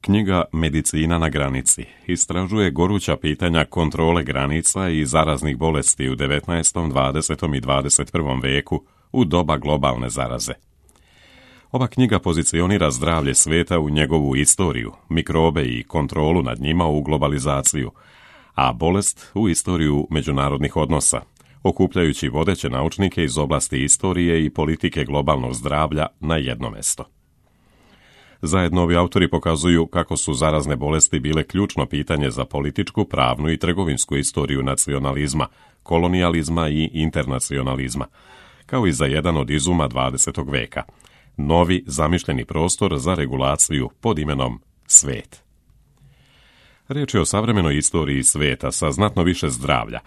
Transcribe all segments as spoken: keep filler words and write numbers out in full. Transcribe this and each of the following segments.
Knjiga Medicina na granici istražuje goruća pitanja kontrole granica i zaraznih bolesti u devetnaestom, dvadesetom i dvadeset prvom veku u doba globalne zaraze. Ova knjiga pozicionira zdravlje svijeta u njegovu istoriju, mikrobe i kontrolu nad njima u globalizaciju, a bolest u istoriju međunarodnih odnosa, okupljajući vodeće naučnike iz oblasti istorije i politike globalnog zdravlja na jedno mesto. Zajedno ovi autori pokazuju kako su zarazne bolesti bile ključno pitanje za političku, pravnu i trgovinsku istoriju nacionalizma, kolonijalizma i internacionalizma, kao i za jedan od izuma dvadesetog veka, novi zamišljeni prostor za regulaciju pod imenom svet. Riječ je o savremenoj istoriji svijeta sa znatno više zdravlja,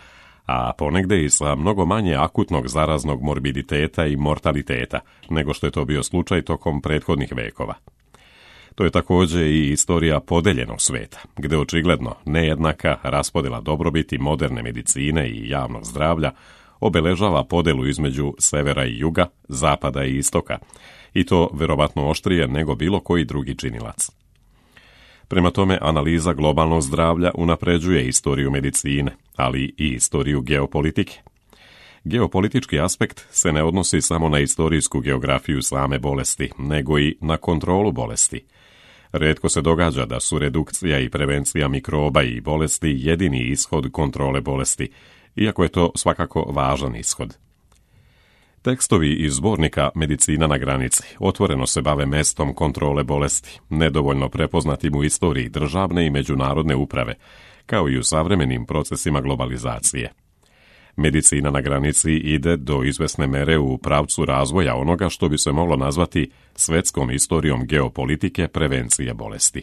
a ponegde i sa mnogo manje akutnog zaraznog morbiditeta i mortaliteta nego što je to bio slučaj tokom prethodnih vekova. To je također i istorija podeljenog sveta, gdje očigledno nejednaka raspodjela dobrobiti moderne medicine i javnog zdravlja obeležava podelu između severa i juga, zapada i istoka, i to vjerovatno oštrije nego bilo koji drugi činilac. Prema tome, analiza globalnog zdravlja unapređuje istoriju medicine, ali i istoriju geopolitike. Geopolitički aspekt se ne odnosi samo na istorijsku geografiju same bolesti, nego i na kontrolu bolesti. Rijetko se događa da su redukcija i prevencija mikroba i bolesti jedini ishod kontrole bolesti, iako je to svakako važan ishod. Tekstovi iz zbornika Medicina na granici otvoreno se bave mestom kontrole bolesti, nedovoljno prepoznatim u istoriji državne i međunarodne uprave, kao i u savremenim procesima globalizacije. Medicina na granici ide do izvesne mere u pravcu razvoja onoga što bi se moglo nazvati svetskom istorijom geopolitike prevencije bolesti.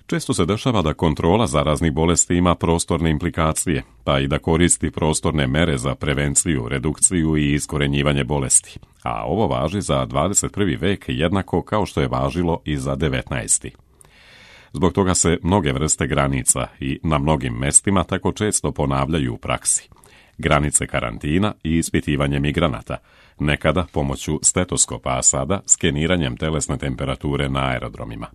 Često se dešava da kontrola zaraznih bolesti ima prostorne implikacije, pa i da koristi prostorne mere za prevenciju, redukciju i iskorenjivanje bolesti, a ovo važi za dvadeset prvi vek jednako kao što je važilo i za devetnaesti. Zbog toga se mnoge vrste granica i na mnogim mestima tako često ponavljaju u praksi. Granice karantina i ispitivanje migranata, nekada pomoću stetoskopa, a sada skeniranjem telesne temperature na aerodromima.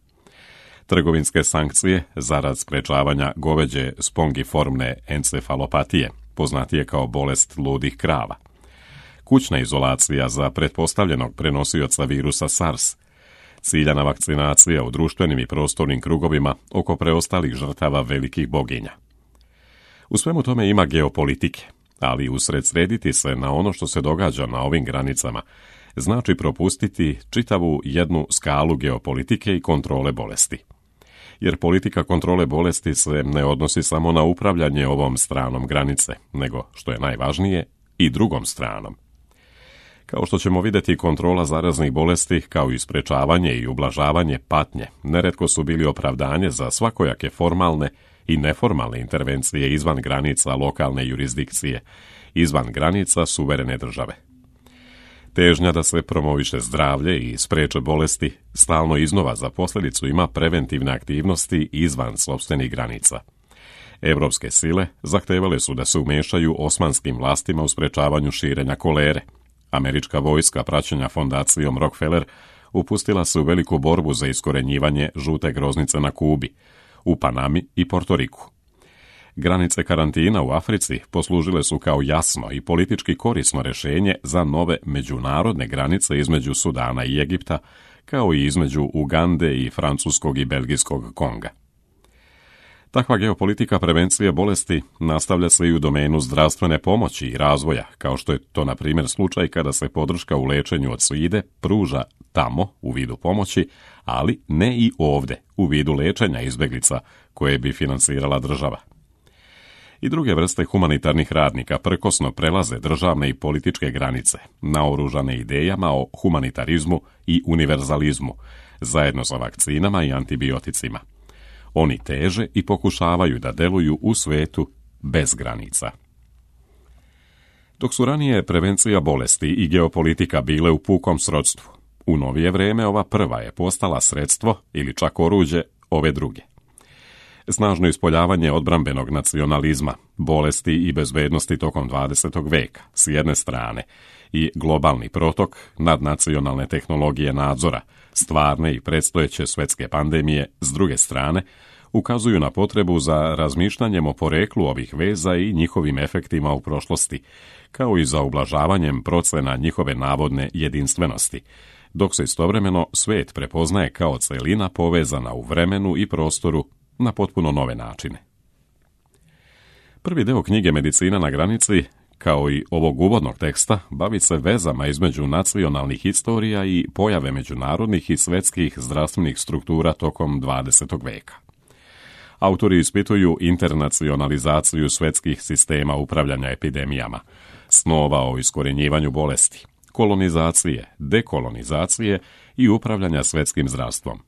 Trgovinske sankcije zarad sprečavanja goveđe spongiformne encefalopatije, poznatije kao bolest ludih krava. Kućna izolacija za pretpostavljenog prenosioca virusa SARS. Ciljana vakcinacija u društvenim i prostornim krugovima oko preostalih žrtava velikih boginja. U svemu tome ima geopolitike, ali usredsrediti se na ono što se događa na ovim granicama znači propustiti čitavu jednu skalu geopolitike i kontrole bolesti. Jer politika kontrole bolesti se ne odnosi samo na upravljanje ovom stranom granice, nego, što je najvažnije, i drugom stranom. Kao što ćemo vidjeti, kontrola zaraznih bolesti, kao i sprečavanje i ublažavanje patnje, neretko su bili opravdanje za svakojake formalne i neformalne intervencije izvan granica lokalne jurisdikcije, izvan granica suverene države. Težnja da se promoviše zdravlje i spreče bolesti stalno iznova za posljedicu ima preventivne aktivnosti izvan sopstvenih granica. Evropske sile zahtevale su da se umešaju osmanskim vlastima u sprečavanju širenja kolere. Američka vojska, praćenja fondacijom Rockefeller, upustila se u veliku borbu za iskorenjivanje žute groznice na Kubi, u Panami i Portoriku. Granice karantina u Africi poslužile su kao jasno i politički korisno rješenje za nove međunarodne granice između Sudana i Egipta, kao i između Ugande i francuskog i belgijskog Konga. Takva geopolitika prevencije bolesti nastavlja se i u domenu zdravstvene pomoći i razvoja, kao što je to na primjer slučaj kada se podrška u lečenju od svide pruža tamo u vidu pomoći, ali ne i ovdje u vidu lečenja izbjeglica koje bi financirala država. I druge vrste humanitarnih radnika prkosno prelaze državne i političke granice, naoružane idejama o humanitarizmu i univerzalizmu, zajedno sa vakcinama i antibioticima. Oni teže i pokušavaju da deluju u svetu bez granica. Dok su ranije prevencija bolesti i geopolitika bile u pukom srodstvu, u novije vrijeme ova prva je postala sredstvo ili čak oruđe ove druge. Snažno ispoljavanje odbrambenog nacionalizma, bolesti i bezbednosti tokom dvadesetog veka s jedne strane i globalni protok nadnacionalne tehnologije nadzora stvarne i predstojeće svjetske pandemije, s druge strane, ukazuju na potrebu za razmišljanjem o poreklu ovih veza i njihovim efektima u prošlosti, kao i za ublažavanjem procena njihove navodne jedinstvenosti, dok se istovremeno svijet prepoznaje kao celina povezana u vremenu i prostoru na potpuno nove načine. Prvi deo knjige Medicina na granici, kao i ovog uvodnog teksta, bavi se vezama između nacionalnih historija i pojave međunarodnih i svjetskih zdravstvenih struktura tokom dvadesetog veka. Autori ispituju internacionalizaciju svjetskih sistema upravljanja epidemijama, snova o iskorjenjivanju bolesti, kolonizacije, dekolonizacije i upravljanja svjetskim zdravstvom.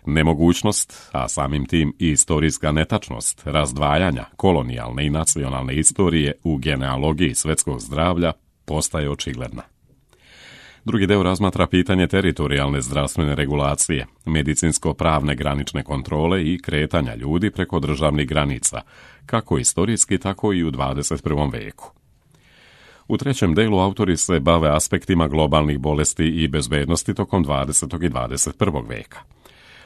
Nemogućnost, a samim tim i istorijska netačnost razdvajanja kolonijalne i nacionalne istorije u genealogiji svjetskog zdravlja postaje očigledna. Drugi deo razmatra pitanje teritorijalne zdravstvene regulacije, medicinsko-pravne granične kontrole i kretanja ljudi preko državnih granica, kako istorijski, tako i u dvadeset prvom veku. U trećem delu autori se bave aspektima globalnih bolesti i bezbednosti tokom dvadesetog i dvadeset prvog veka.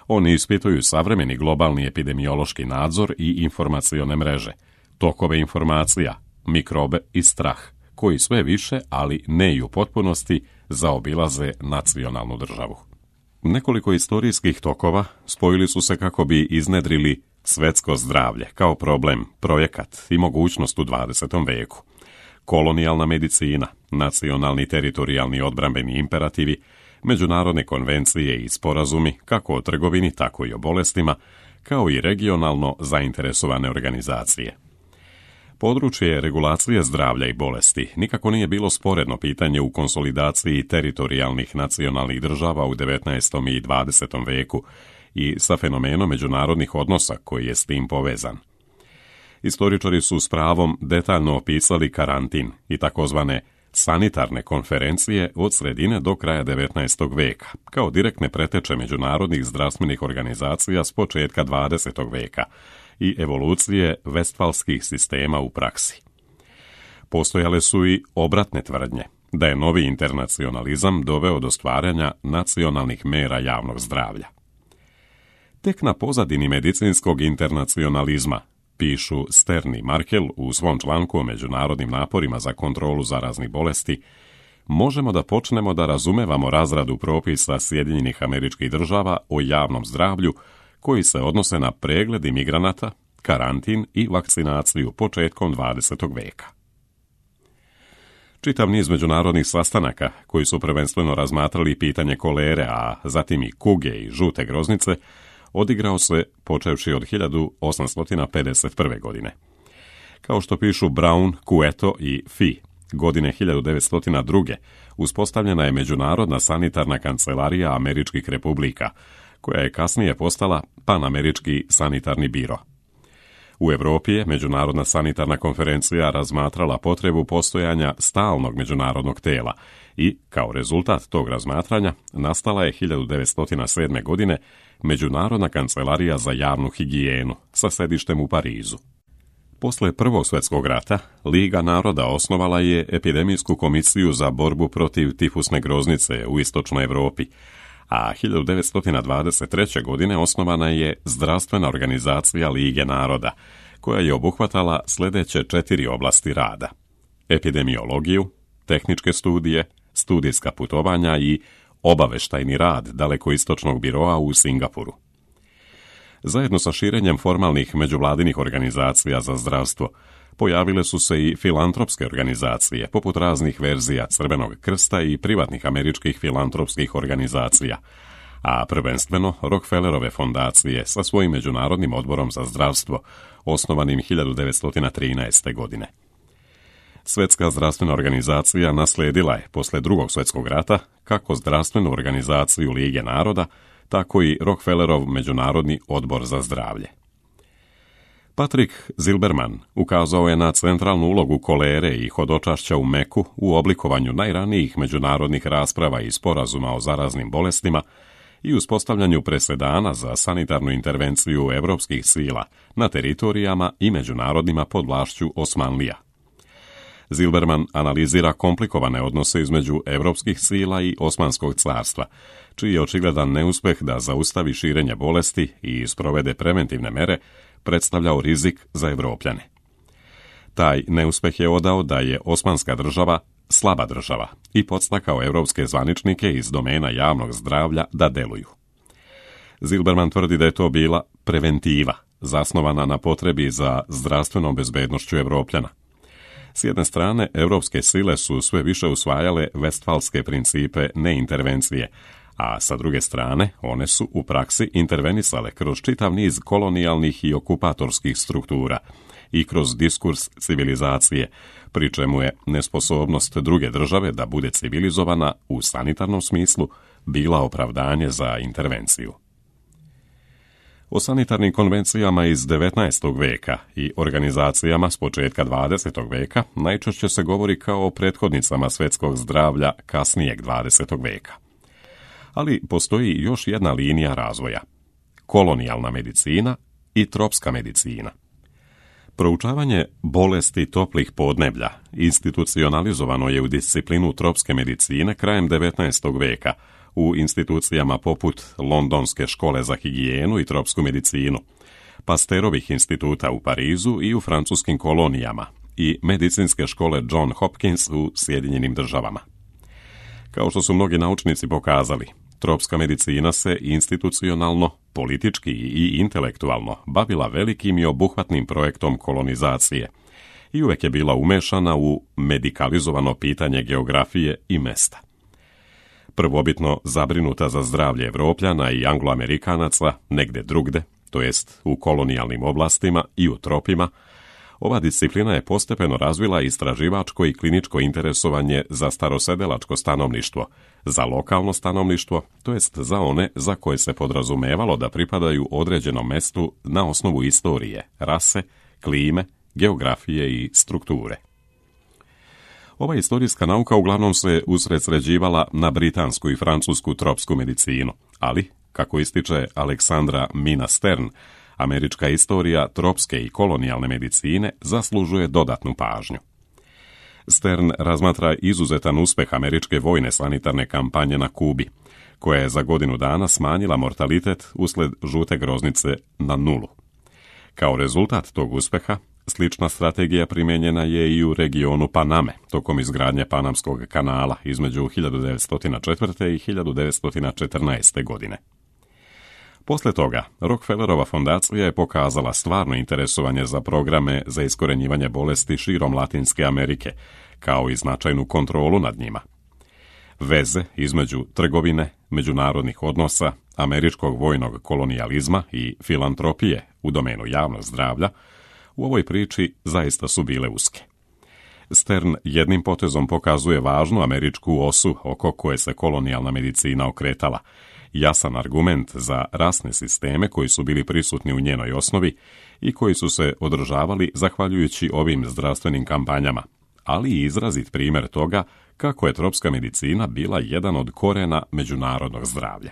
Oni ispituju savremeni globalni epidemiološki nadzor i informacione mreže, tokove informacija, mikrobe i strah, koji sve više, ali ne i u potpunosti, zaobilaze nacionalnu državu. Nekoliko istorijskih tokova spojili su se kako bi iznedrili svjetsko zdravlje kao problem, projekat i mogućnost u dvadesetom veku. Kolonijalna medicina, nacionalni teritorijalni odbrambeni imperativi, međunarodne konvencije i sporazumi kako o trgovini, tako i o bolestima, kao i regionalno zainteresovane organizacije. Područje regulacije zdravlja i bolesti nikako nije bilo sporedno pitanje u konsolidaciji teritorijalnih nacionalnih država u devetnaestom i dvadesetom veku i sa fenomenom međunarodnih odnosa koji je s tim povezan. Istoričari su s pravom detaljno opisali karantin i takozvane sanitarne konferencije od sredine do kraja devetnaestog veka, kao direktne preteče međunarodnih zdravstvenih organizacija s početka dvadesetog veka i evolucije vestfalskih sistema u praksi. Postojale su i obratne tvrdnje, da je novi internacionalizam doveo do stvaranja nacionalnih mera javnog zdravlja. Tek na pozadini medicinskog internacionalizma, pišu Stern i Markel u svom članku o međunarodnim naporima za kontrolu zaraznih bolesti, možemo da počnemo da razumevamo razradu propisa Sjedinjenih Američkih Država o javnom zdravlju koji se odnose na pregled imigranata, karantin i vakcinaciju početkom dvadesetog veka. Čitav niz međunarodnih sastanaka koji su prvenstveno razmatrali pitanje kolere, a zatim i kuge i žute groznice, odigrao se počevši od hiljadu osamsto pedeset prve. godine. Kao što pišu Brown, Cueto i Fee, godine hiljadu devetsto druge. uspostavljena je Međunarodna sanitarna kancelarija Američkih republika, koja je kasnije postala Panamerički sanitarni biro. U Europi je Međunarodna sanitarna konferencija razmatrala potrebu postojanja stalnog međunarodnog tela i, kao rezultat tog razmatranja, nastala je hiljadu devetsto sedme. godine Međunarodna kancelarija za javnu higijenu sa sedištem u Parizu. Posle Prvog svjetskog rata, Liga naroda osnovala je epidemijsku komisiju za borbu protiv tifusne groznice u istočnoj Europi, a hiljadu devetsto dvadeset treće. godine osnovana je Zdravstvena organizacija Lige naroda, koja je obuhvatala sljedeće četiri oblasti rada: epidemiologiju, tehničke studije, studijska putovanja i obaveštajni rad dalekoistočnog biroa u Singapuru. Zajedno sa širenjem formalnih međuvladinih organizacija za zdravstvo, pojavile su se i filantropske organizacije, poput raznih verzija Crvenog krsta i privatnih američkih filantropskih organizacija, a prvenstveno Rockefellerove fondacije sa svojim Međunarodnim odborom za zdravstvo, osnovanim hiljadu devetsto trinaeste. godine. Svjetska zdravstvena organizacija naslijedila je posle Drugog svjetskog rata kako zdravstvenu organizaciju Lige naroda, tako i Rockefellerov Međunarodni odbor za zdravlje. Patrick Zilberman ukazao je na centralnu ulogu kolere i hodočašća u Meku u oblikovanju najranijih međunarodnih rasprava i sporazuma o zaraznim bolestima i uspostavljanju presedana za sanitarnu intervenciju evropskih sila na teritorijama i međunarodnima pod vlašću Osmanlija. Zilberman analizira komplikovane odnose između europskih sila i Osmanskog carstva, čiji je očigledan neuspeh da zaustavi širenje bolesti i sprovede preventivne mere predstavljao rizik za Evropljane. Taj neuspeh je odao da je Osmanska država slaba država i podstakao evropske zvaničnike iz domena javnog zdravlja da deluju. Zilberman tvrdi da je to bila preventiva, zasnovana na potrebi za zdravstvenom bezbednošću Evropljana. S jedne strane, evropske sile su sve više usvajale vestfalske principe neintervencije, a sa druge strane, one su u praksi intervenisale kroz čitav niz kolonijalnih i okupatorskih struktura i kroz diskurs civilizacije, pri čemu je nesposobnost druge države da bude civilizovana u sanitarnom smislu bila opravdanje za intervenciju. O sanitarnim konvencijama iz devetnaestog veka i organizacijama s početka dvadesetog veka najčešće se govori kao o prethodnicama svjetskog zdravlja kasnijeg dvadesetog veka. Ali postoji još jedna linija razvoja: kolonijalna medicina i tropska medicina. Proučavanje bolesti toplih podneblja institucionalizovano je u disciplinu tropske medicine krajem devetnaestog veka u institucijama poput Londonske škole za higijenu i tropsku medicinu, Pasterovih instituta u Parizu i u francuskim kolonijama i medicinske škole John Hopkins u Sjedinjenim državama. Kao što su mnogi naučnici pokazali, tropska medicina se institucionalno, politički i intelektualno bavila velikim i obuhvatnim projektom kolonizacije i uvek je bila umešana u medikalizovano pitanje geografije i mesta. Prvobitno zabrinuta za zdravlje Evropljana i Angloamerikanaca negde drugde, to jest u kolonijalnim oblastima i u tropima, ova disciplina je postepeno razvila istraživačko i kliničko interesovanje za starosedelačko stanovništvo, za lokalno stanovništvo, to jest za one za koje se podrazumevalo da pripadaju određenom mestu na osnovu istorije, rase, klime, geografije i strukture. Ova istorijska nauka uglavnom se usredsređivala na britansku i francusku tropsku medicinu, ali, kako ističe Aleksandra Mina Stern, američka istorija tropske i kolonijalne medicine zaslužuje dodatnu pažnju. Stern razmatra izuzetan uspeh američke vojne sanitarne kampanje na Kubi, koja je za godinu dana smanjila mortalitet usled žute groznice na nulu. Kao rezultat tog uspeha, slična strategija primijenjena je i u regionu Paname, tokom izgradnje Panamskog kanala između hiljadu devetsto četvrte. i hiljadu devetsto četrnaeste. godine. Posle toga, Rockefellerova fondacija je pokazala stvarno interesovanje za programe za iskorenjivanje bolesti širom Latinske Amerike, kao i značajnu kontrolu nad njima. Veze između trgovine, međunarodnih odnosa, američkog vojnog kolonijalizma i filantropije u domenu javnog zdravlja u ovoj priči zaista su bile uske. Stern jednim potezom pokazuje važnu američku osu oko koje se kolonijalna medicina okretala, jasan argument za rasne sisteme koji su bili prisutni u njenoj osnovi i koji su se održavali zahvaljujući ovim zdravstvenim kampanjama, ali i izrazit primjer toga kako je tropska medicina bila jedan od korena međunarodnog zdravlja.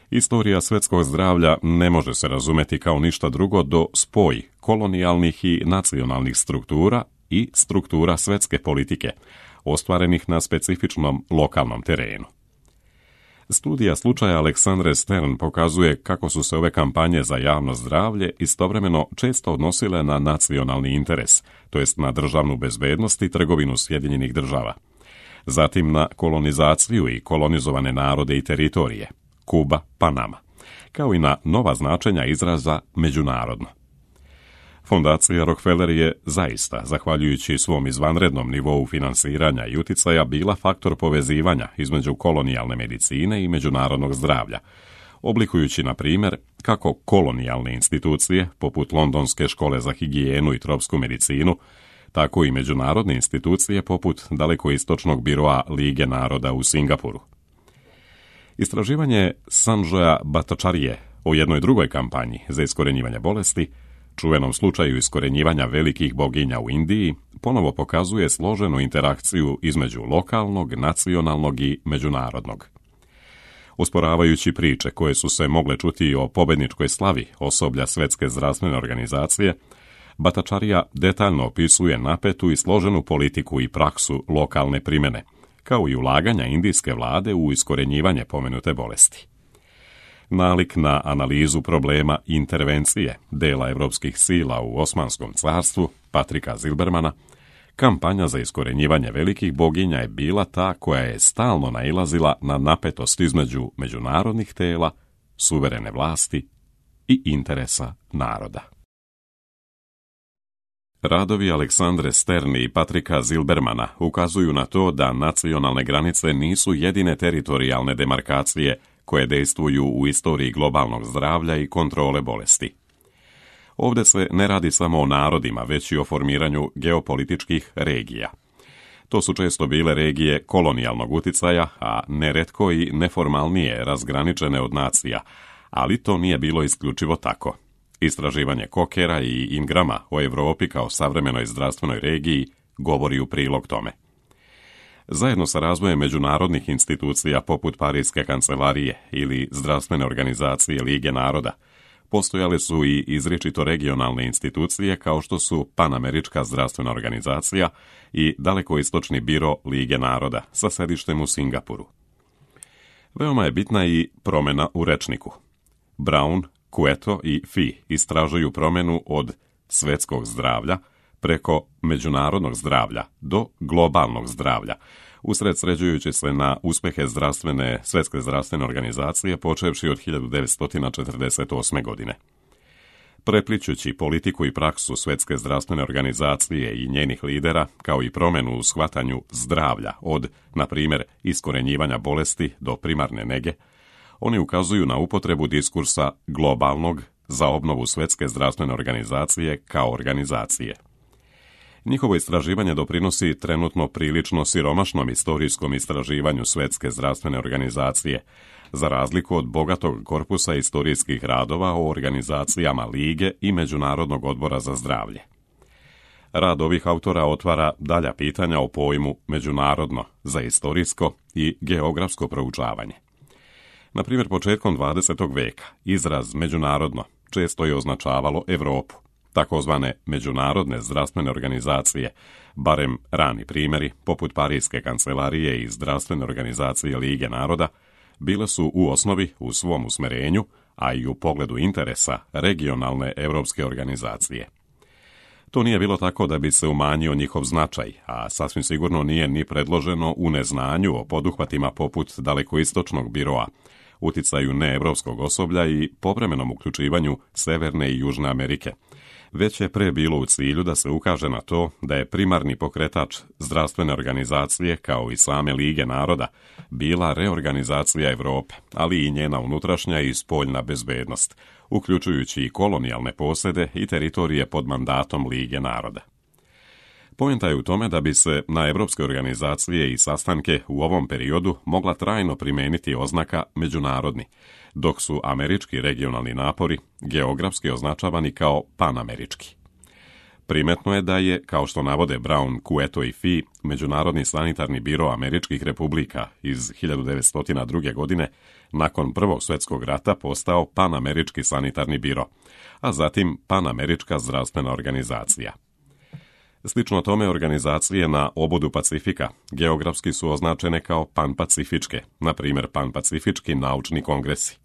Istorija svjetskog zdravlja ne može se razumeti kao ništa drugo do spoj kolonijalnih i nacionalnih struktura i struktura svjetske politike, ostvarenih na specifičnom lokalnom terenu. Studija slučaja Aleksandre Stern pokazuje kako su se ove kampanje za javno zdravlje istovremeno često odnosile na nacionalni interes, to jest na državnu bezbednost i trgovinu Sjedinjenih država. Zatim na kolonizaciju i kolonizovane narode i teritorije, Kuba, Panama, kao i na nova značenja izraza međunarodno. Fondacija Rockefeller je zaista, zahvaljujući svom izvanrednom nivou finansiranja i uticaja, bila faktor povezivanja između kolonijalne medicine i međunarodnog zdravlja, oblikujući, na primjer, kako kolonijalne institucije, poput Londonske škole za higijenu i tropsku medicinu, tako i međunarodne institucije poput Dalekoistočnog biroa Lige naroda u Singapuru. Istraživanje Sanjoya Bhattacharye o jednoj drugoj kampanji za iskorenjivanje bolesti, čuvenom slučaju iskorenjivanja velikih boginja u Indiji, ponovo pokazuje složenu interakciju između lokalnog, nacionalnog i međunarodnog. Usporavajući priče koje su se mogle čuti o pobedničkoj slavi osoblja Svjetske zdravstvene organizacije, Bhattacharya detaljno opisuje napetu i složenu politiku i praksu lokalne primjene, kao i ulaganja indijske vlade u iskorenjivanje pomenute bolesti. Nalik na analizu problema intervencije dela evropskih sila u Osmanskom carstvu, Patrika Zilbermana, kampanja za iskorenjivanje velikih boginja je bila ta koja je stalno nailazila na napetost između međunarodnih tela, suverene vlasti i interesa naroda. Radovi Aleksandre Sterni i Patrika Zilbermana ukazuju na to da nacionalne granice nisu jedine teritorijalne demarkacije koje dejstvuju u istoriji globalnog zdravlja i kontrole bolesti. Ovdje se ne radi samo o narodima, već i o formiranju geopolitičkih regija. To su često bile regije kolonijalnog uticaja, a neretko i neformalnije razgraničene od nacija, ali to nije bilo isključivo tako. Istraživanje Kokera i Ingrama o Europi kao savremenoj zdravstvenoj regiji govori u prilog tome. Zajedno sa razvojem međunarodnih institucija poput Parijske kancelarije ili Zdravstvene organizacije Lige naroda, postojale su i izričito regionalne institucije kao što su Panamerička zdravstvena organizacija i Dalekoistočni biro Lige naroda sa sedištem u Singapuru. Veoma je bitna i promjena u rečniku. Brown, Cueto i Fee istražuju promjenu od svetskog zdravlja preko međunarodnog zdravlja do globalnog zdravlja, usred sređujući se na uspehe zdravstvene, Svetske zdravstvene organizacije počevši od hiljadu devetsto četrdeset osme. godine. Prepličući politiku i praksu Svetske zdravstvene organizacije i njenih lidera, kao i promjenu u shvatanju zdravlja od, na primjer, iskorenjivanja bolesti do primarne nege, oni ukazuju na upotrebu diskursa globalnog za obnovu Svetske zdravstvene organizacije kao organizacije. Njihovo istraživanje doprinosi trenutno prilično siromašnom istorijskom istraživanju Svetske zdravstvene organizacije, za razliku od bogatog korpusa istorijskih radova o organizacijama Lige i Međunarodnog odbora za zdravlje. Rad ovih autora otvara dalja pitanja o pojmu međunarodno za istorijsko i geografsko proučavanje. Na primjer, početkom dvadesetog veka izraz međunarodno često je označavalo Europu. Takozvane međunarodne zdravstvene organizacije, barem rani primjeri, poput Parijske kancelarije i Zdravstvene organizacije Lige naroda, bile su u osnovi u svom usmerenju, a i u pogledu interesa regionalne europske organizacije. To nije bilo tako da bi se umanjio njihov značaj, a sasvim sigurno nije ni predloženo u neznanju o poduhvatima poput Dalekoistočnog biroa, uticaju neevropskog osoblja i povremenom uključivanju Severne i Južne Amerike, već je pre bilo u cilju da se ukaže na to da je primarni pokretač zdravstvene organizacije, kao i same Lige naroda, bila reorganizacija Europe, ali i njena unutrašnja i spoljna bezbednost, uključujući i kolonijalne posjede i teritorije pod mandatom Lige naroda. Poenta je u tome da bi se na evropske organizacije i sastanke u ovom periodu mogla trajno primijeniti oznaka međunarodni, dok su američki regionalni napori geografski označavani kao panamerički. Primetno je da je, kao što navode Brown, Cueto i Fee, Međunarodni sanitarni biro američkih republika iz hiljadu devetsto druge. godine nakon Prvog svjetskog rata postao Panamerički sanitarni biro, a zatim Panamerička zdravstvena organizacija. Slično tome, organizacije na obodu Pacifika geografski su označene kao panpacifičke, na primjer Panpacifički naučni kongresi.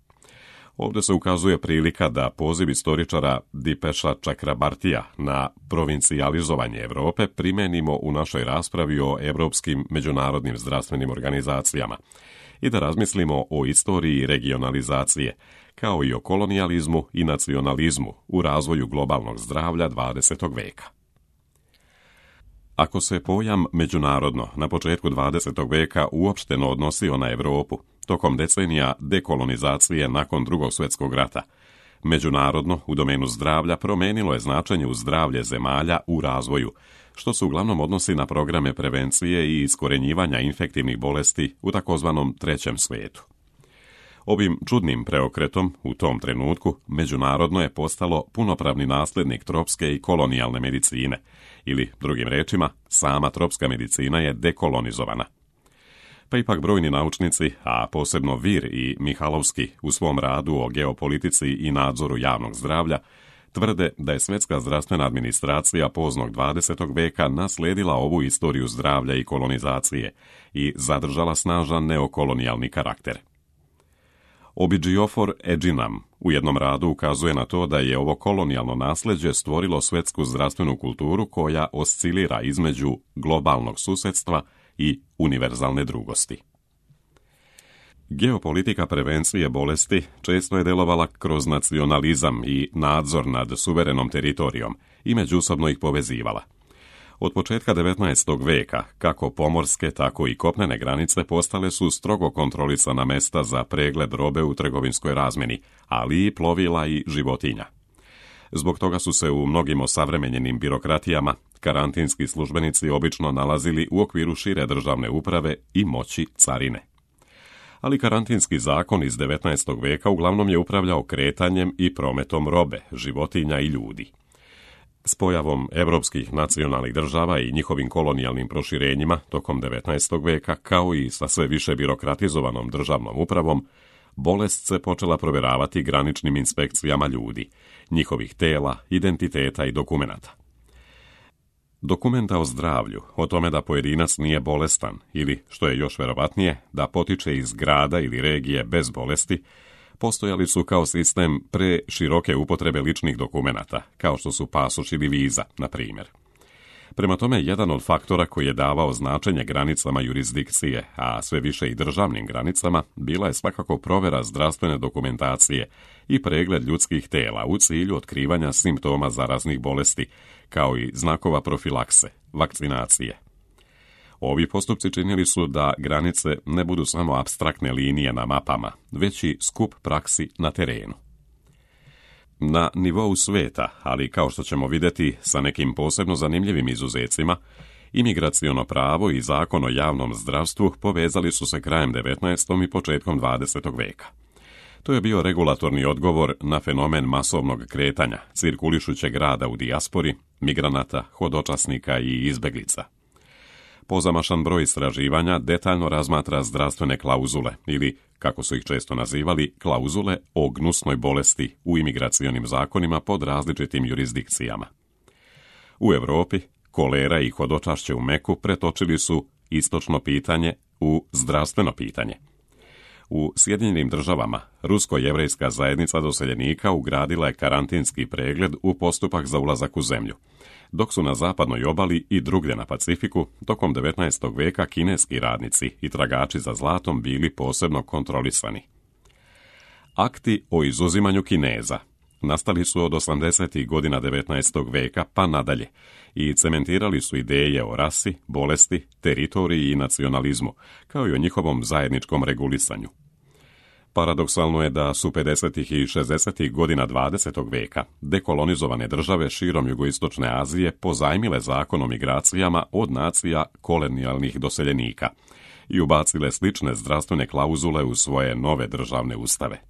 Ovdje se ukazuje prilika da poziv istoričara Dipeša Chakrabartija na provincijalizovanje Europe primenimo u našoj raspravi o evropskim međunarodnim zdravstvenim organizacijama i da razmislimo o istoriji regionalizacije, kao i o kolonijalizmu i nacionalizmu u razvoju globalnog zdravlja dvadesetog veka. Ako se pojam međunarodno na početku dvadesetog veka uopšteno odnosio na Europu, tokom decenija dekolonizacije nakon Drugog svjetskog rata, međunarodno u domenu zdravlja promenilo je značenje u zdravlje zemalja u razvoju, što se uglavnom odnosi na programe prevencije i iskorenjivanja infektivnih bolesti u takozvanom trećem svijetu. Ovim čudnim preokretom u tom trenutku međunarodno je postalo punopravni nasljednik tropske i kolonijalne medicine, ili, drugim rečima, sama tropska medicina je dekolonizovana. Pa ipak brojni naučnici, a posebno Vir i Mihalovski u svom radu o geopolitici i nadzoru javnog zdravlja, tvrde da je Svjetska zdravstvena administracija poznog dvadesetog veka naslijedila ovu istoriju zdravlja i kolonizacije i zadržala snažan neokolonijalni karakter. Obiđiofor Edžinam u jednom radu ukazuje na to da je ovo kolonijalno nasljeđe stvorilo svjetsku zdravstvenu kulturu koja oscilira između globalnog susjedstva i univerzalne drugosti. Geopolitika prevencije bolesti često je delovala kroz nacionalizam i nadzor nad suverenom teritorijom i međusobno ih povezivala. Od početka devetnaestog veka, kako pomorske, tako i kopnene granice postale su strogo kontrolisana mesta za pregled robe u trgovinskoj razmjeni, ali i plovila i životinja. Zbog toga su se u mnogim osavremenjenim birokratijama karantinski službenici obično nalazili u okviru šire državne uprave i moći carine. Ali karantinski zakon iz devetnaestog veka uglavnom je upravljao kretanjem i prometom robe, životinja i ljudi. S pojavom evropskih nacionalnih država i njihovim kolonijalnim proširenjima tokom devetnaestog veka, kao i sa sve više birokratizovanom državnom upravom, bolest se počela provjeravati graničnim inspekcijama ljudi, njihovih tela, identiteta i dokumenata. Dokumenta o zdravlju, o tome da pojedinac nije bolestan ili, što je još verovatnije, da potiče iz grada ili regije bez bolesti, postojali su kao sistem pre široke upotrebe ličnih dokumenata, kao što su pasoš ili viza, na primjer. Prema tome, jedan od faktora koji je davao značenje granicama jurisdikcije, a sve više i državnim granicama, bila je svakako provjera zdravstvene dokumentacije i pregled ljudskih tela u cilju otkrivanja simptoma zaraznih bolesti, kao i znakova profilakse, vakcinacije. Ovi postupci činili su da granice ne budu samo apstraktne linije na mapama, već i skup praksi na terenu. Na nivou svijeta, ali kao što ćemo vidjeti sa nekim posebno zanimljivim izuzecima, imigraciono pravo i zakon o javnom zdravstvu povezali su se krajem devetnaestog i početkom dvadesetog veka. To je bio regulatorni odgovor na fenomen masovnog kretanja, cirkulišućeg rada u dijaspori, migranata, hodočasnika i izbeglica. Pozamašan broj istraživanja detaljno razmatra zdravstvene klauzule ili, kako su ih često nazivali, klauzule o gnusnoj bolesti u imigracionim zakonima pod različitim jurisdikcijama. U Europi kolera i hodočašće u Meku pretočili su istočno pitanje u zdravstveno pitanje. U Sjedinjenim državama rusko-jevrejska zajednica doseljenika ugradila je karantinski pregled u postupak za ulazak u zemlju, dok su na zapadnoj obali i drugdje na Pacifiku tokom devetnaestog veka kineski radnici i tragači za zlatom bili posebno kontrolisani. Akti o izuzimanju Kineza nastali su od osamdesetih godina devetnaestog veka pa nadalje i cementirali su ideje o rasi, bolesti, teritoriji i nacionalizmu, kao i o njihovom zajedničkom regulisanju. Paradoksalno je da su pedesetih i šezdesetih godina dvadesetog veka dekolonizovane države širom jugoistočne Azije pozajmile zakon o migracijama od nacija kolonijalnih doseljenika i ubacile slične zdravstvene klauzule u svoje nove državne ustave.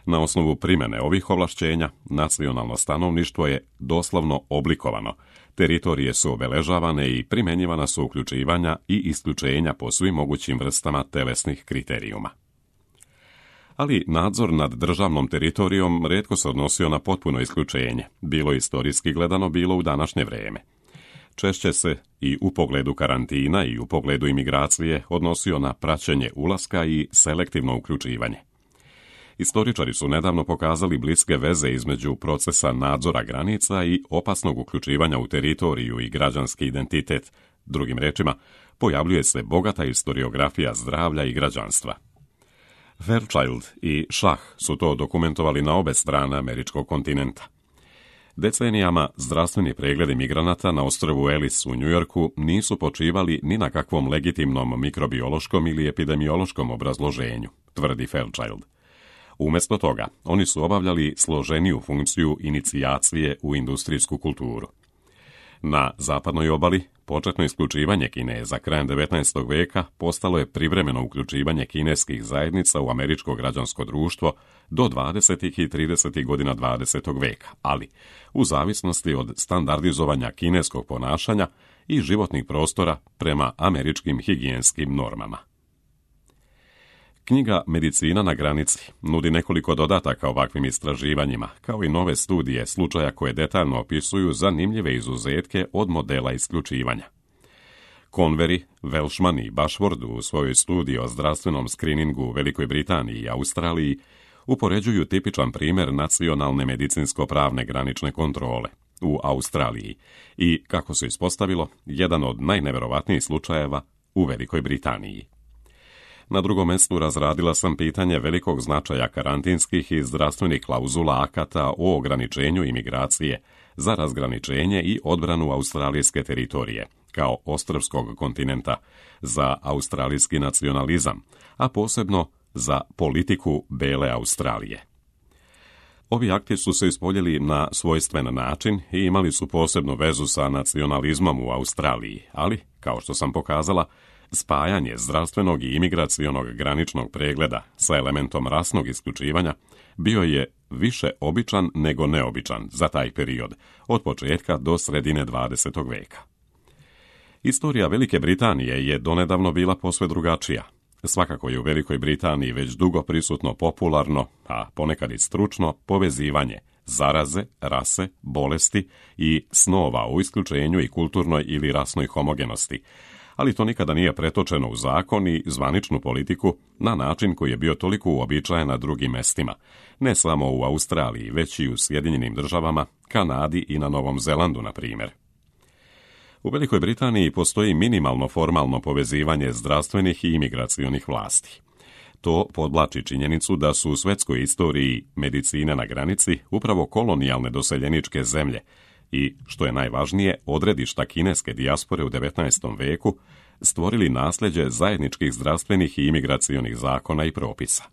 Na osnovu primjene ovih ovlašćenja, nacionalno stanovništvo je doslovno oblikovano, teritorije su obeležavane i primjenjivana su uključivanja i isključenja po svim mogućim vrstama telesnih kriterijuma. Ali nadzor nad državnom teritorijom rijetko se odnosio na potpuno isključenje, bilo istorijski gledano, bilo u današnje vrijeme. Češće se i u pogledu karantina i u pogledu imigracije odnosio na praćenje ulaska i selektivno uključivanje. Istoričari su nedavno pokazali bliske veze između procesa nadzora granica i opasnog uključivanja u teritoriju i građanski identitet. Drugim rečima, pojavljuje se bogata historiografija zdravlja i građanstva. Fairchild i Shah su to dokumentovali na obe strane američkog kontinenta. Decenijama zdravstveni pregledi migranata na ostrvu Ellis u Njujorku nisu počivali ni na kakvom legitimnom mikrobiološkom ili epidemiološkom obrazloženju, tvrdi Fairchild. Umjesto toga, oni su obavljali složeniju funkciju inicijacije u industrijsku kulturu. Na zapadnoj obali, početno isključivanje Kineza krajem devetnaestog veka postalo je privremeno uključivanje kineskih zajednica u američko građansko društvo do dvadesetih i tridesetih godina dvadesetog veka, ali u zavisnosti od standardizovanja kineskog ponašanja i životnih prostora prema američkim higijenskim normama. Knjiga Medicina na granici nudi nekoliko dodataka ovakvim istraživanjima, kao i nove studije slučaja koje detaljno opisuju zanimljive izuzetke od modela isključivanja. Convery, Welshman i Bashford u svojoj studiji o zdravstvenom skriningu u Velikoj Britaniji i Australiji upoređuju tipičan primjer nacionalne medicinsko-pravne granične kontrole u Australiji i, kako se ispostavilo, jedan od najneverovatnijih slučajeva u Velikoj Britaniji. Na drugom mjestu razradila sam pitanje velikog značaja karantinskih i zdravstvenih klauzula akata o ograničenju imigracije za razgraničenje i odbranu australijske teritorije, kao ostrvskog kontinenta, za australijski nacionalizam, a posebno za politiku Bele Australije. Ovi akti su se ispoljili na svojstven način i imali su posebnu vezu sa nacionalizmom u Australiji, ali, kao što sam pokazala, spajanje zdravstvenog i imigracionog graničnog pregleda sa elementom rasnog isključivanja bio je više običan nego neobičan za taj period, od početka do sredine dvadesetog veka. Istorija Velike Britanije je donedavno bila posve drugačija. Svakako je u Velikoj Britaniji već dugo prisutno popularno, a ponekad i stručno, povezivanje zaraze, rase, bolesti i snova o isključenju i kulturnoj ili rasnoj homogenosti, ali to nikada nije pretočeno u zakon i zvaničnu politiku na način koji je bio toliko uobičajen na drugim mestima, ne samo u Australiji, već i u Sjedinjenim državama, Kanadi i na Novom Zelandu, na primjer. U Velikoj Britaniji postoji minimalno formalno povezivanje zdravstvenih i imigracionih vlasti. To podvlači činjenicu da su u svetskoj istoriji medicine na granici upravo kolonijalne doseljeničke zemlje i, što je najvažnije, odredišta kineske dijaspore u devetnaestom veku stvorili nasljeđe zajedničkih zdravstvenih i imigracionih zakona i propisa.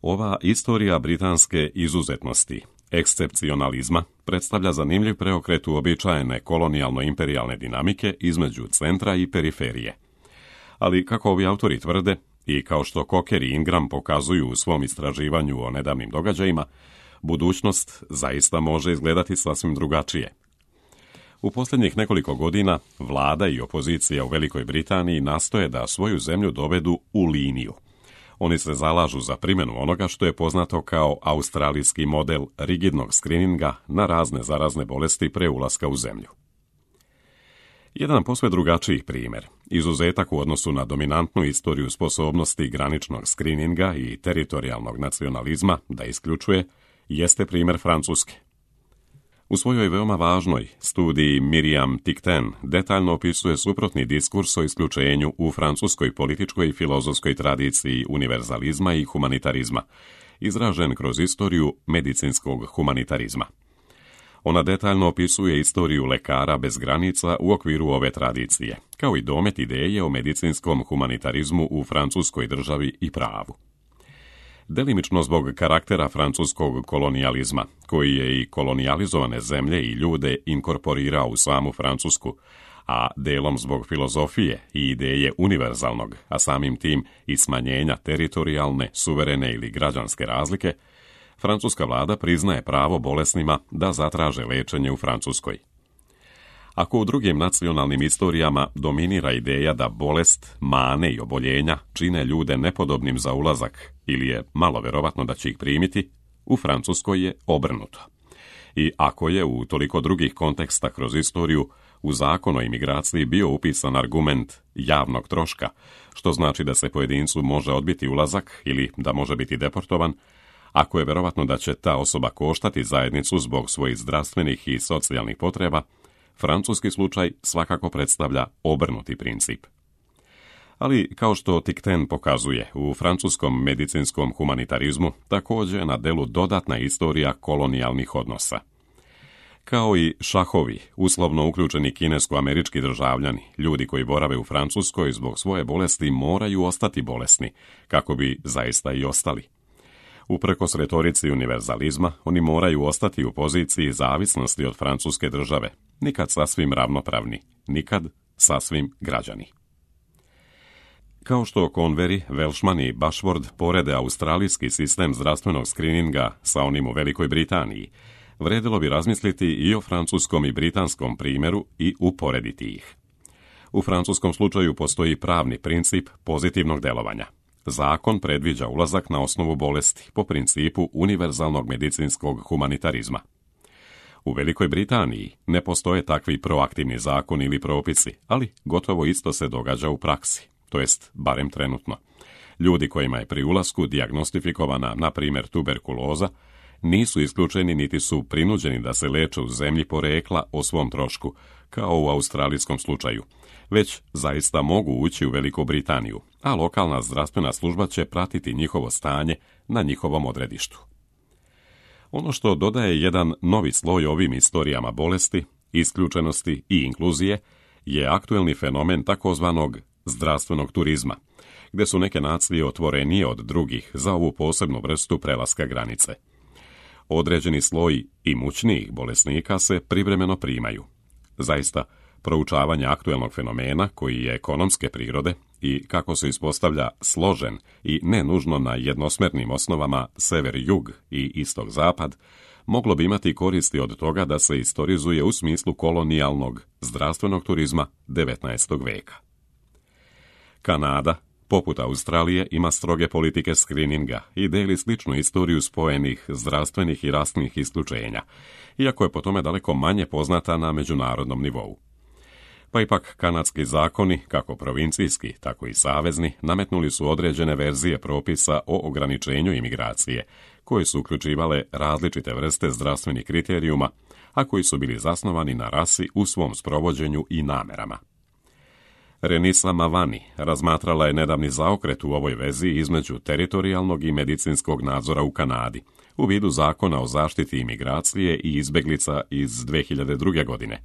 Ova istorija britanske izuzetnosti, ekscepcionalizma, predstavlja zanimljiv preokret uobičajene kolonijalno-imperijalne dinamike između centra i periferije. Ali, kako ovi autori tvrde, i kao što Cocker i Ingram pokazuju u svom istraživanju o nedavnim događajima, budućnost zaista može izgledati sasvim drugačije. U posljednjih nekoliko godina vlada i opozicija u Velikoj Britaniji nastoje da svoju zemlju dovedu u liniju. Oni se zalažu za primjenu onoga što je poznato kao australijski model rigidnog skrininga na razne zarazne bolesti pre ulaska u zemlju. Jedan posve drugačiji primjer, izuzetak u odnosu na dominantnu istoriju sposobnosti graničnog skrininga i teritorijalnog nacionalizma da isključuje, jeste primjer Francuske. U svojoj veoma važnoj studiji Miriam Ticten detaljno opisuje suprotni diskurs o isključenju u francuskoj političkoj i filozofskoj tradiciji univerzalizma i humanitarizma, izražen kroz istoriju medicinskog humanitarizma. Ona detaljno opisuje istoriju lekara bez granica u okviru ove tradicije, kao i domet ideje o medicinskom humanitarizmu u francuskoj državi i pravu. Delimično zbog karaktera francuskog kolonijalizma, koji je i kolonijalizovane zemlje i ljude inkorporirao u samu Francusku, a delom zbog filozofije i ideje univerzalnog, a samim tim i smanjenja teritorijalne, suverene ili građanske razlike, francuska vlada priznaje pravo bolesnima da zatraže lečenje u Francuskoj. Ako u drugim nacionalnim istorijama dominira ideja da bolest, mane i oboljenja čine ljude nepodobnim za ulazak ili je malo verovatno da će ih primiti, u Francuskoj je obrnuto. I ako je u toliko drugih konteksta kroz istoriju u zakon o imigraciji bio upisan argument javnog troška, što znači da se pojedincu može odbiti ulazak ili da može biti deportovan, ako je verovatno da će ta osoba koštati zajednicu zbog svojih zdravstvenih i socijalnih potreba, francuski slučaj svakako predstavlja obrnuti princip. Ali, kao što Ticten pokazuje, u francuskom medicinskom humanitarizmu također je na delu dodatna istorija kolonijalnih odnosa. Kao i šahovi, uslovno uključeni kinesko-američki državljani, ljudi koji borave u Francuskoj zbog svoje bolesti moraju ostati bolesni, kako bi zaista i ostali. Uprkos retorici univerzalizma, oni moraju ostati u poziciji zavisnosti od francuske države, nikad sasvim ravnopravni, nikad sasvim građani. Kao što Convery, Welshman i Bashford porede australijski sistem zdravstvenog skrininga sa onim u Velikoj Britaniji, vredilo bi razmisliti i o francuskom i britanskom primjeru i uporediti ih. U francuskom slučaju postoji pravni princip pozitivnog delovanja. zakon predviđa ulazak na osnovu bolesti po principu univerzalnog medicinskog humanitarizma. U Velikoj Britaniji ne postoje takvi proaktivni zakoni ili propisi, ali gotovo isto se događa u praksi, to jest barem trenutno. Ljudi kojima je pri ulasku dijagnostifikovana, na primjer, tuberkuloza, nisu isključeni niti su prinuđeni da se leče u zemlji porekla o svom trošku, kao u australijskom slučaju, već zaista mogu ući u Veliku Britaniju, a lokalna zdravstvena služba će pratiti njihovo stanje na njihovom odredištu. Ono što dodaje jedan novi sloj ovim istorijama bolesti, isključenosti i inkluzije je aktuelni fenomen takozvanog zdravstvenog turizma, gdje su neke nacije otvorenije od drugih za ovu posebnu vrstu prelaska granice. Određeni sloj imućnijih bolesnika se privremeno primaju. Zaista, proučavanje aktuelnog fenomena koji je ekonomske prirode i kako se ispostavlja složen i ne nužno na jednosmernim osnovama sever-jug i istok-zapad, moglo bi imati koristi od toga da se istorizuje u smislu kolonijalnog zdravstvenog turizma devetnaestog veka. Kanada, poput Australije, ima stroge politike skrininga i deli sličnu istoriju spojenih zdravstvenih i rasnih isključenja, iako je po tome daleko manje poznata na međunarodnom nivou. Pa ipak kanadski zakoni, kako provincijski, tako i savezni, nametnuli su određene verzije propisa o ograničenju imigracije, koje su uključivale različite vrste zdravstvenih kriterijuma, a koji su bili zasnovani na rasi u svom sprovođenju i namerama. Renisa Mavani razmatrala je nedavni zaokret u ovoj vezi između teritorijalnog i medicinskog nadzora u Kanadi, u vidu zakona o zaštiti imigracije i izbeglica iz dve hiljade druge. godine,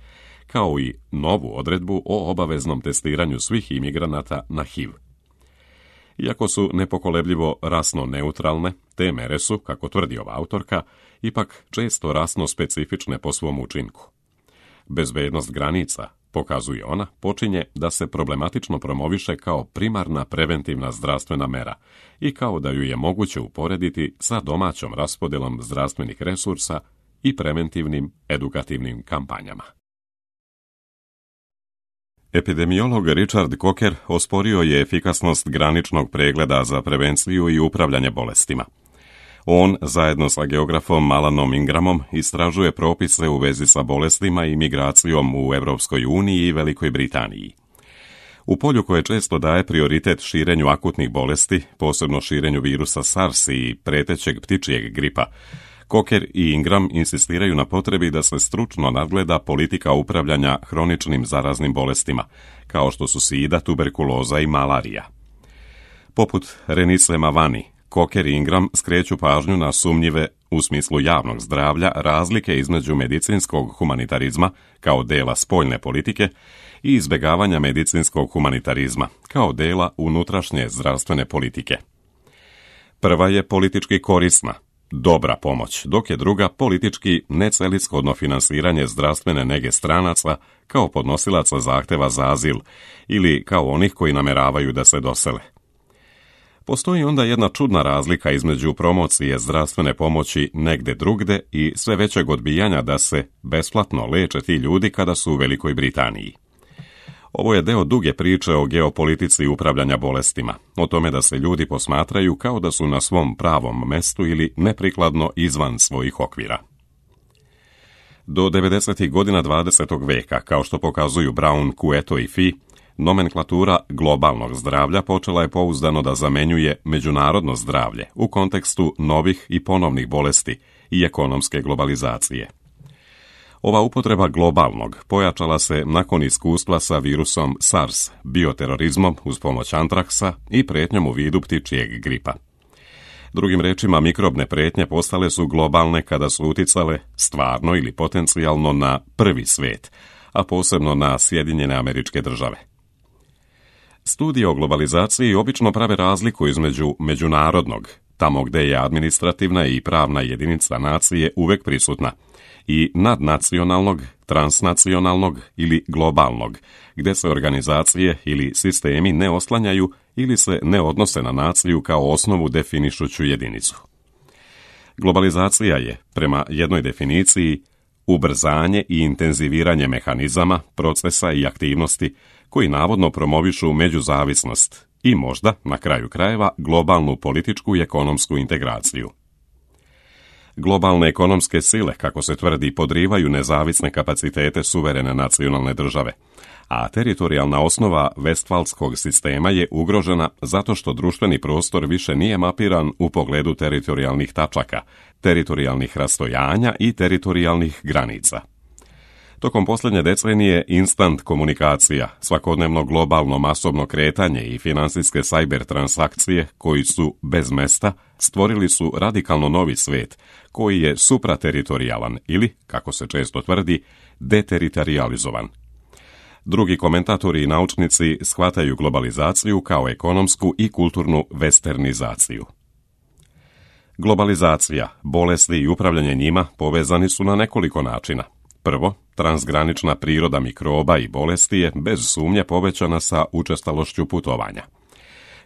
kao i novu odredbu o obaveznom testiranju svih imigranata na H I V. Iako su nepokolebljivo rasno neutralne, te mere su, kako tvrdi ova autorka, ipak često rasno specifične po svom učinku. Bezbednost granica, pokazuje ona, počinje da se problematično promoviše kao primarna preventivna zdravstvena mera i kao da ju je moguće uporediti sa domaćom raspodelom zdravstvenih resursa i preventivnim edukativnim kampanjama. Epidemiolog Richard Coker osporio je efikasnost graničnog pregleda za prevenciju i upravljanje bolestima. On, zajedno sa geografom Alanom Ingramom, istražuje propise u vezi sa bolestima i migracijom u Europskoj uniji i Velikoj Britaniji. U polju koje često daje prioritet širenju akutnih bolesti, posebno širenju virusa SARS i pretećeg ptičjeg gripa, Coker i Ingram insistiraju na potrebi da se stručno nadgleda politika upravljanja hroničnim zaraznim bolestima, kao što su sida, tuberkuloza i malarija. Poput Renise Mavani, Coker i Ingram skreću pažnju na sumnjive, u smislu javnog zdravlja, razlike između medicinskog humanitarizma, kao dela spoljne politike, i izbjegavanja medicinskog humanitarizma, kao dela unutrašnje zdravstvene politike. Prva je politički korisna, dobra pomoć, dok je druga politički necelishodno finansiranje zdravstvene nege stranaca kao podnosilaca zahteva za azil ili kao onih koji nameravaju da se dosele. Postoji onda jedna čudna razlika između promocije zdravstvene pomoći negde drugde i sve većeg odbijanja da se besplatno leče ti ljudi kada su u Velikoj Britaniji. Ovo je deo duge priče o geopolitici upravljanja bolestima, o tome da se ljudi posmatraju kao da su na svom pravom mestu ili neprikladno izvan svojih okvira. Do devedesetih godina dvadesetog veka, kao što pokazuju Brown, Cueto i Fee, nomenklatura globalnog zdravlja počela je pouzdano da zamenjuje međunarodno zdravlje u kontekstu novih i ponovnih bolesti i ekonomske globalizacije. Ova upotreba globalnog pojačala se nakon iskustva sa virusom SARS, bioterorizmom uz pomoć antraksa i prijetnjom u vidu ptičjeg gripa. Drugim rečima, mikrobne prijetnje postale su globalne kada su uticale stvarno ili potencijalno na prvi svijet, a posebno na Sjedinjene Američke Države. Studije o globalizaciji obično prave razliku između međunarodnog, tamo gdje je administrativna i pravna jedinica nacije uvek prisutna, i nadnacionalnog, transnacionalnog ili globalnog, gdje se organizacije ili sistemi ne oslanjaju ili se ne odnose na naciju kao osnovu definišuću jedinicu. Globalizacija je, prema jednoj definiciji, ubrzanje i intenziviranje mehanizama, procesa i aktivnosti koji navodno promovišu međuzavisnost i možda, na kraju krajeva, globalnu političku i ekonomsku integraciju. Globalne ekonomske sile, kako se tvrdi, podrivaju nezavisne kapacitete suverene nacionalne države, a teritorijalna osnova Vestfalskog sistema je ugrožena zato što društveni prostor više nije mapiran u pogledu teritorijalnih tačaka, teritorijalnih rastojanja i teritorijalnih granica. Tokom posljednje decenije instant komunikacija, svakodnevno globalno masovno kretanje i finansijske cyber transakcije koji su bez mesta stvorili su radikalno novi svijet koji je suprateritorijalan ili, kako se često tvrdi, deteritorializovan. Drugi komentatori i naučnici shvataju globalizaciju kao ekonomsku i kulturnu westernizaciju. Globalizacija, bolesti i upravljanje njima povezani su na nekoliko načina. Prvo, transgranična priroda mikroba i bolesti je bez sumnje povećana sa učestalošću putovanja.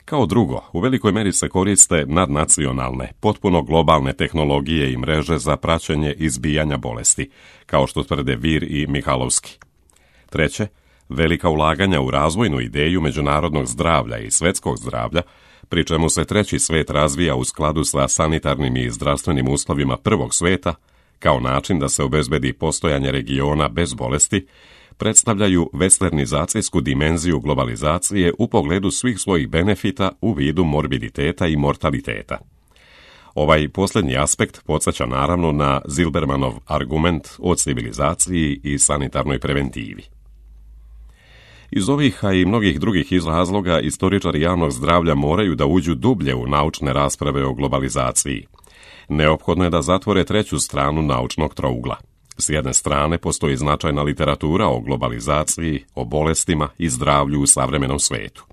Kao drugo, u velikoj meri se koriste nadnacionalne, potpuno globalne tehnologije i mreže za praćenje izbijanja bolesti, kao što tvrde Vir i Mihalovski. Treće, velika ulaganja u razvojnu ideju međunarodnog zdravlja i svjetskog zdravlja, pri čemu se treći svijet razvija u skladu sa sanitarnim i zdravstvenim uslovima prvog svijeta, kao način da se obezbedi postojanje regiona bez bolesti, predstavljaju westernizacijsku dimenziju globalizacije u pogledu svih svojih benefita u vidu morbiditeta i mortaliteta. Ovaj posljednji aspekt podsjeća naravno na Zilbermanov argument o civilizaciji i sanitarnoj preventivi. Iz ovih, a i mnogih drugih razloga, istoričari javnog zdravlja moraju da uđu dublje u naučne rasprave o globalizaciji. Neophodno je da zatvore treću stranu naučnog trougla. S jedne strane postoji značajna literatura o globalizaciji, o bolestima i zdravlju u savremenom svijetu.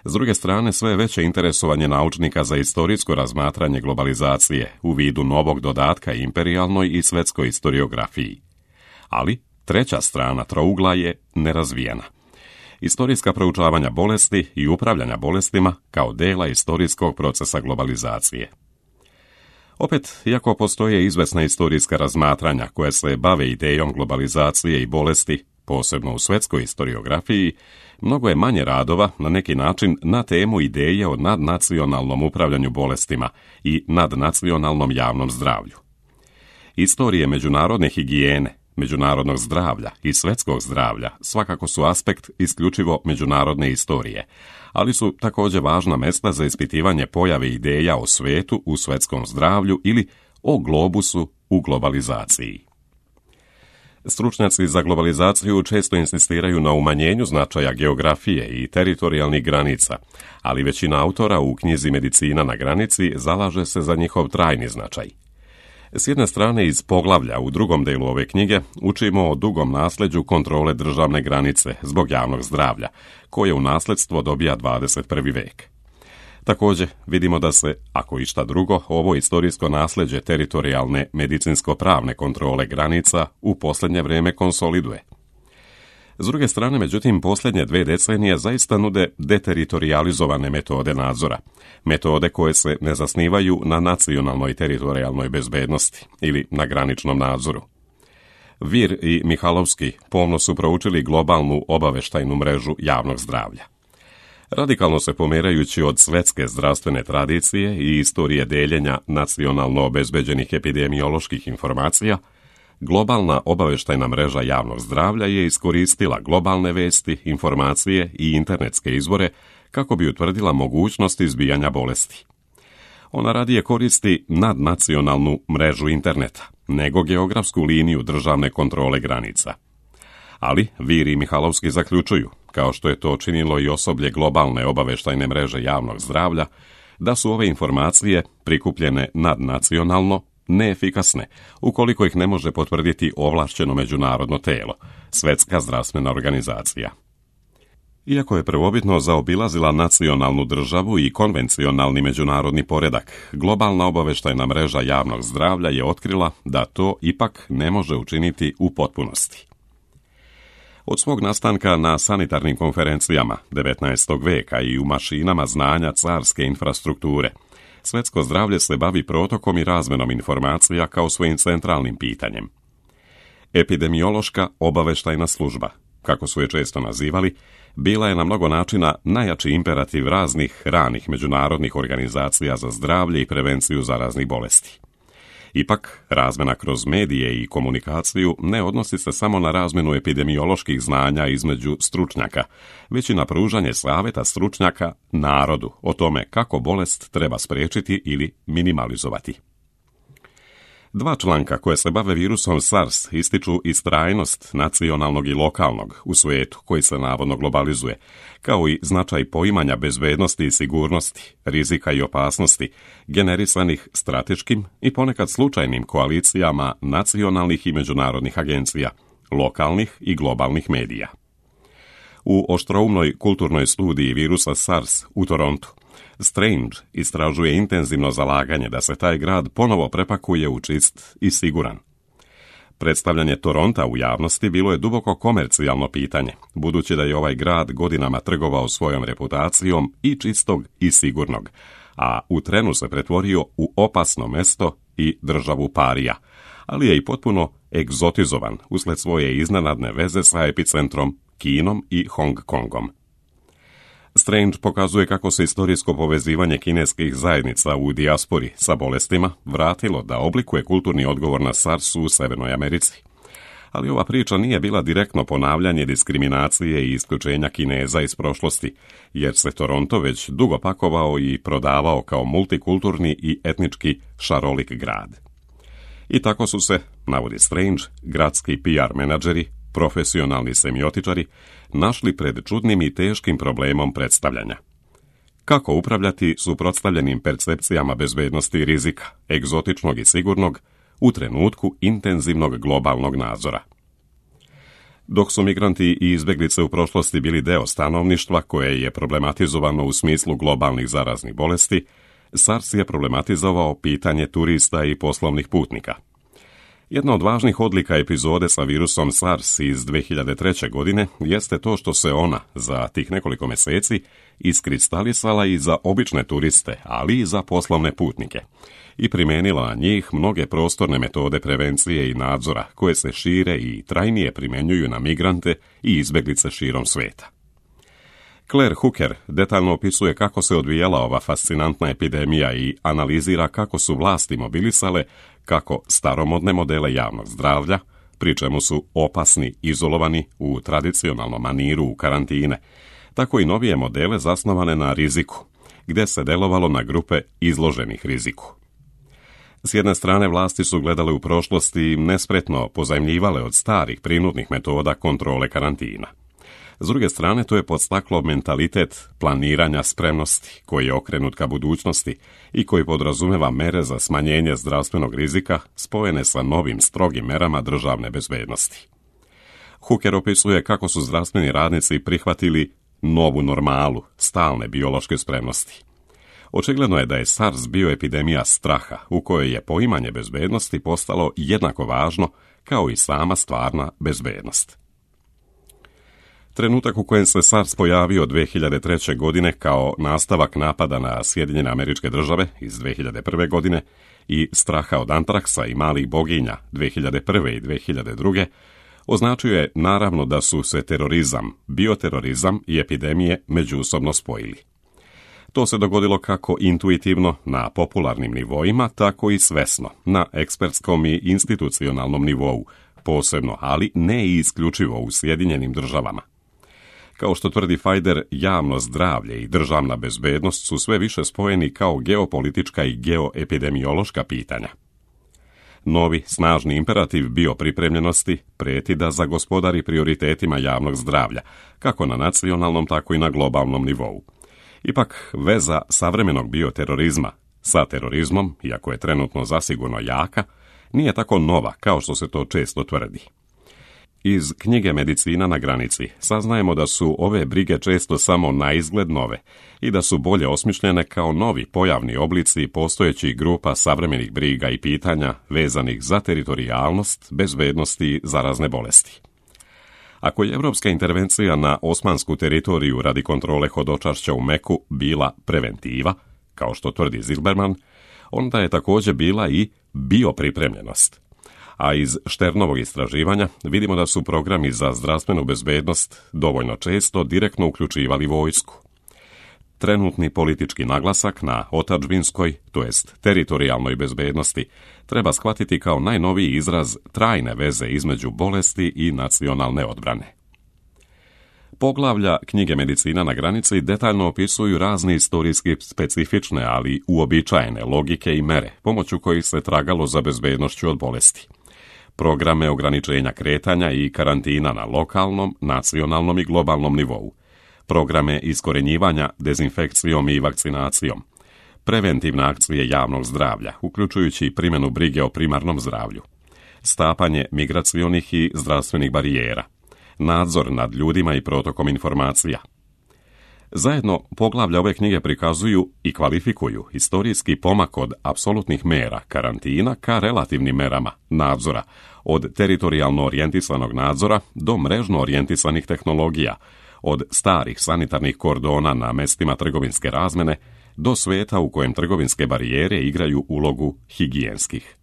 S druge strane, sve veće interesovanje naučnika za istorijsko razmatranje globalizacije u vidu novog dodatka imperijalnoj i svjetskoj historiografiji. Ali treća strana trougla je nerazvijena. Istorijska proučavanja bolesti i upravljanja bolestima kao dela istorijskog procesa globalizacije. Opet, iako postoje izvesna istorijska razmatranja koje se bave idejom globalizacije i bolesti, posebno u svjetskoj historiografiji, mnogo je manje radova na neki način na temu ideje o nadnacionalnom upravljanju bolestima i nadnacionalnom javnom zdravlju. Istorije međunarodne higijene, međunarodnog zdravlja i svjetskog zdravlja svakako su aspekt isključivo međunarodne istorije, ali su također važna mjesta za ispitivanje pojave ideja o svijetu u svjetskom zdravlju ili o globusu u globalizaciji. Stručnjaci za globalizaciju često insistiraju na umanjenju značaja geografije i teritorijalnih granica, ali većina autora u knjizi Medicina na granici zalaže se za njihov trajni značaj. S jedne strane, iz poglavlja u drugom delu ove knjige učimo o dugom nasljeđu kontrole državne granice zbog javnog zdravlja, koje u nasljedstvo dobija dvadeset prvi vek. Također, vidimo da se, ako išta drugo, ovo istorijsko nasljeđe teritorijalne medicinsko-pravne kontrole granica u posljednje vrijeme konsoliduje. S druge strane, međutim, posljednje dve decenije zaista nude deteritorializovane metode nadzora, metode koje se ne zasnivaju na nacionalnoj teritorijalnoj bezbednosti ili na graničnom nadzoru. Vir i Mihalovski pomno su proučili globalnu obavještajnu mrežu javnog zdravlja. Radikalno se pomerajući od svjetske zdravstvene tradicije i istorije deljenja nacionalno obezbeđenih epidemioloških informacija, globalna obavještajna mreža javnog zdravlja je iskoristila globalne vesti, informacije i internetske izvore kako bi utvrdila mogućnost izbijanja bolesti. Ona radije koristi nadnacionalnu mrežu interneta, nego geografsku liniju državne kontrole granica. Ali Vir i Mihalovski zaključuju, kao što je to činilo i osoblje globalne obavještajne mreže javnog zdravlja, da su ove informacije prikupljene nadnacionalno neefikasne, ukoliko ih ne može potvrditi ovlašćeno međunarodno telo, Svjetska zdravstvena organizacija. Iako je prvobitno zaobilazila nacionalnu državu i konvencionalni međunarodni poredak, globalna obavještajna mreža javnog zdravlja je otkrila da to ipak ne može učiniti u potpunosti. Od svog nastanka na sanitarnim konferencijama devetnaestog veka i u mašinama znanja carske infrastrukture, svjetsko zdravlje se bavi protokom i razmenom informacija kao svojim centralnim pitanjem. Epidemiološka obavještajna služba, kako su je često nazivali, bila je na mnogo načina najjači imperativ raznih ranih međunarodnih organizacija za zdravlje i prevenciju zaraznih bolesti. Ipak, razmjena kroz medije i komunikaciju ne odnosi se samo na razmjenu epidemioloških znanja između stručnjaka, već i na pružanje savjeta stručnjaka narodu o tome kako bolest treba spriječiti ili minimalizovati. Dva članka koje se bave virusom SARS ističu istrajnost nacionalnog i lokalnog u svijetu koji se navodno globalizuje, kao i značaj poimanja bezbednosti i sigurnosti, rizika i opasnosti, generisanih strateškim i ponekad slučajnim koalicijama nacionalnih i međunarodnih agencija, lokalnih i globalnih medija. U oštroumnoj kulturnoj studiji virusa SARS u Torontu, Strange istražuje intenzivno zalaganje da se taj grad ponovo prepakuje u čist i siguran. Predstavljanje Toronta u javnosti bilo je duboko komercijalno pitanje, budući da je ovaj grad godinama trgovao svojom reputacijom i čistog i sigurnog, a u trenu se pretvorio u opasno mesto i državu parija, ali je i potpuno egzotizovan usled svoje iznenadne veze sa epicentrom Kinom i Hong Kongom. Strange pokazuje kako se istorijsko povezivanje kineskih zajednica u dijaspori sa bolestima vratilo da oblikuje kulturni odgovor na SARS u Severnoj Americi. Ali ova priča nije bila direktno ponavljanje diskriminacije i isključenja Kineza iz prošlosti, jer se Toronto već dugo pakovao i prodavao kao multikulturni i etnički šarolik grad. I tako su se, navodi Strange, gradski P R menadžeri, profesionalni semiotičari, našli pred čudnim i teškim problemom predstavljanja. Kako upravljati suprotstavljenim percepcijama bezbednosti i rizika, egzotičnog i sigurnog, u trenutku intenzivnog globalnog nadzora? Dok su migranti i izbjeglice u prošlosti bili deo stanovništva koje je problematizovano u smislu globalnih zaraznih bolesti, SARS je problematizovao pitanje turista i poslovnih putnika. Jedna od važnih odlika epizode sa virusom SARS iz dvije hiljade treće. godine jeste to što se ona za tih nekoliko mjeseci iskristalisala i za obične turiste, ali i za poslovne putnike, i primijenila na njih mnoge prostorne metode prevencije i nadzora koje se šire i trajnije primjenjuju na migrante i izbjeglice širom svijeta. Claire Hooker detaljno opisuje kako se odvijala ova fascinantna epidemija i analizira kako su vlasti mobilisale kako staromodne modele javnog zdravlja, pri čemu su opasni izolovani u tradicionalnom maniru u karantine, tako i novije modele zasnovane na riziku, gdje se delovalo na grupe izloženih riziku. S jedne strane, vlasti su gledale u prošlosti i nespretno pozajmljivale od starih prinudnih metoda kontrole karantina. S druge strane, to je podstaklo mentalitet planiranja spremnosti, koji je okrenut ka budućnosti i koji podrazumeva mere za smanjenje zdravstvenog rizika spojene sa novim strogim merama državne bezbednosti. Hooker opisuje kako su zdravstveni radnici prihvatili novu normalu, stalne biološke spremnosti. Očigledno je da je SARS bio epidemija straha, u kojoj je poimanje bezbednosti postalo jednako važno kao i sama stvarna bezbednost. Trenutak u kojem se SARS pojavio dvije hiljade treće. godine kao nastavak napada na Sjedinjene Američke Države iz dvije hiljade prve. godine i straha od antraksa i malih boginja dvije hiljade prve. i dvije hiljade druge. označio je naravno da su se terorizam, bioterorizam i epidemije međusobno spojili. To se dogodilo kako intuitivno na popularnim nivoima, tako i svesno na ekspertskom i institucionalnom nivou, posebno, ali ne i isključivo u Sjedinjenim Državama. Kao što tvrdi Fajder, javno zdravlje i državna bezbednost su sve više spojeni kao geopolitička i geoepidemiološka pitanja. Novi, snažni imperativ biopripremljenosti prijeti da zagospodari prioritetima javnog zdravlja, kako na nacionalnom, tako i na globalnom nivou. Ipak, veza savremenog bioterorizma sa terorizmom, iako je trenutno zasigurno jaka, nije tako nova kao što se to često tvrdi. Iz knjige Medicina na granici saznajemo da su ove brige često samo na izgled nove i da su bolje osmišljene kao novi pojavni oblici postojećih grupa savremenih briga i pitanja vezanih za teritorijalnost, bezbednost i zarazne bolesti. Ako je evropska intervencija na osmansku teritoriju radi kontrole hodočašća u Meku bila preventiva, kao što tvrdi Zilberman, onda je također bila i biopripremljenost. a iz Šternovog istraživanja vidimo da su programi za zdravstvenu bezbednost dovoljno često direktno uključivali vojsku. Trenutni politički naglasak na otadžbinskoj, to jest teritorijalnoj bezbednosti, treba shvatiti kao najnoviji izraz trajne veze između bolesti i nacionalne odbrane. Poglavlja knjige Medicina na granici detaljno opisuju razne istorijski specifične, ali uobičajene logike i mere, pomoću kojih se tragalo za bezbednošću od bolesti. Programe ograničenja kretanja i karantina na lokalnom, nacionalnom i globalnom nivou. Programe iskorenjivanja dezinfekcijom i vakcinacijom. Preventivne akcije javnog zdravlja, uključujući primjenu brige o primarnom zdravlju. Stapanje migracionih i zdravstvenih barijera. Nadzor nad ljudima i protokom informacija. Zajedno, poglavlja ove knjige prikazuju i kvalifikuju historijski pomak od apsolutnih mera karantina ka relativnim merama nadzora, od teritorijalno orijentisanog nadzora do mrežno orijentisanih tehnologija, od starih sanitarnih kordona na mestima trgovinske razmene do sveta u kojem trgovinske barijere igraju ulogu higijenskih.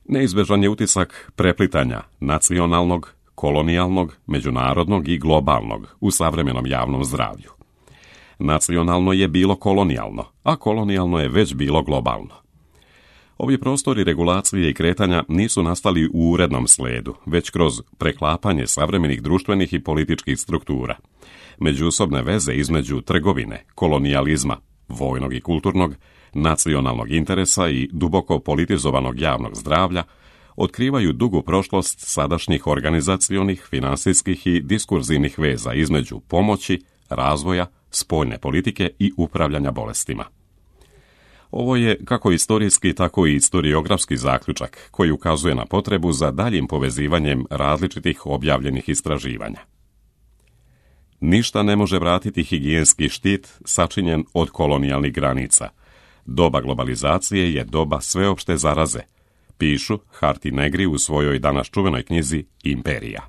Neizbežan je utisak preplitanja nacionalnog, kolonijalnog, međunarodnog i globalnog u savremenom javnom zdravlju. Nacionalno je bilo kolonijalno, a kolonijalno je već bilo globalno. Ovi prostori regulacije i kretanja nisu nastali u urednom sledu, već kroz preklapanje savremenih društvenih i političkih struktura. Međusobne veze između trgovine, kolonijalizma, vojnog i kulturnog, nacionalnog interesa i duboko politizovanog javnog zdravlja otkrivaju dugu prošlost sadašnjih organizacionih, finansijskih i diskurzivnih veza između pomoći, razvoja, spoljne politike i upravljanja bolestima. Ovo je kako istorijski, tako i istoriografski zaključak koji ukazuje na potrebu za daljim povezivanjem različitih objavljenih istraživanja. Ništa ne može vratiti higijenski štit sačinjen od kolonijalnih granica. Doba globalizacije je doba sveopšte zaraze, pišu Hart i Negri u svojoj danas čuvenoj knjizi Imperija.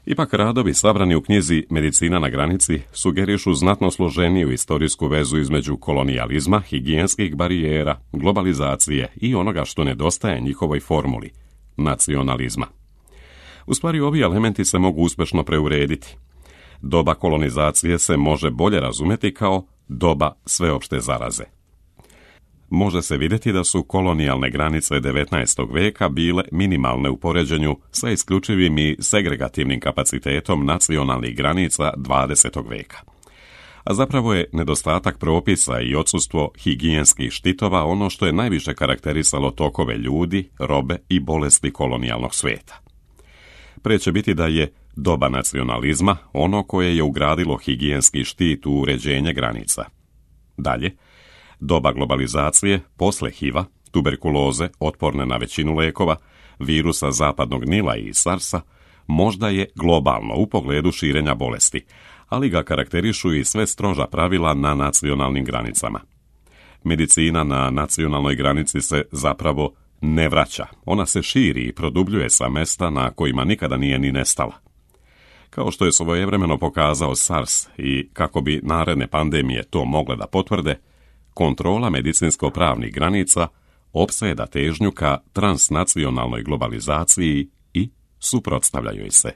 Ipak radovi sabrani u knjizi Medicina na granici sugerišu znatno složeniju istorijsku vezu između kolonijalizma, higijenskih barijera, globalizacije i onoga što nedostaje njihovoj formuli, nacionalizma. U stvari, ovi elementi se mogu uspešno preurediti. Doba kolonizacije se može bolje razumjeti kao doba sveopšte zaraze. Može se vidjeti da su kolonijalne granice devetnaestog veka bile minimalne u poređenju sa isključivim i segregativnim kapacitetom nacionalnih granica dvadesetog veka. A zapravo je nedostatak propisa i odsustvo higijenskih štitova ono što je najviše karakterisalo tokove ljudi, robe i bolesti kolonijalnog svijeta. Pre će biti da je doba nacionalizma ono koje je ugradilo higijenski štit u uređenje granica. Dalje, doba globalizacije, posle HIV-a, tuberkuloze, otporne na većinu lekova, virusa zapadnog Nila i SARS-a, možda je globalno u pogledu širenja bolesti, ali ga karakterišu i sve stroža pravila na nacionalnim granicama. Medicina na nacionalnoj granici se zapravo ne vraća, ona se širi i produbljuje sa mesta na kojima nikada nije ni nestala. Kao što je svojevremeno pokazao SARS i kako bi naredne pandemije to mogle da potvrde, kontrola medicinsko-pravnih granica opseda težnju ka transnacionalnoj globalizaciji i suprotstavljaju se.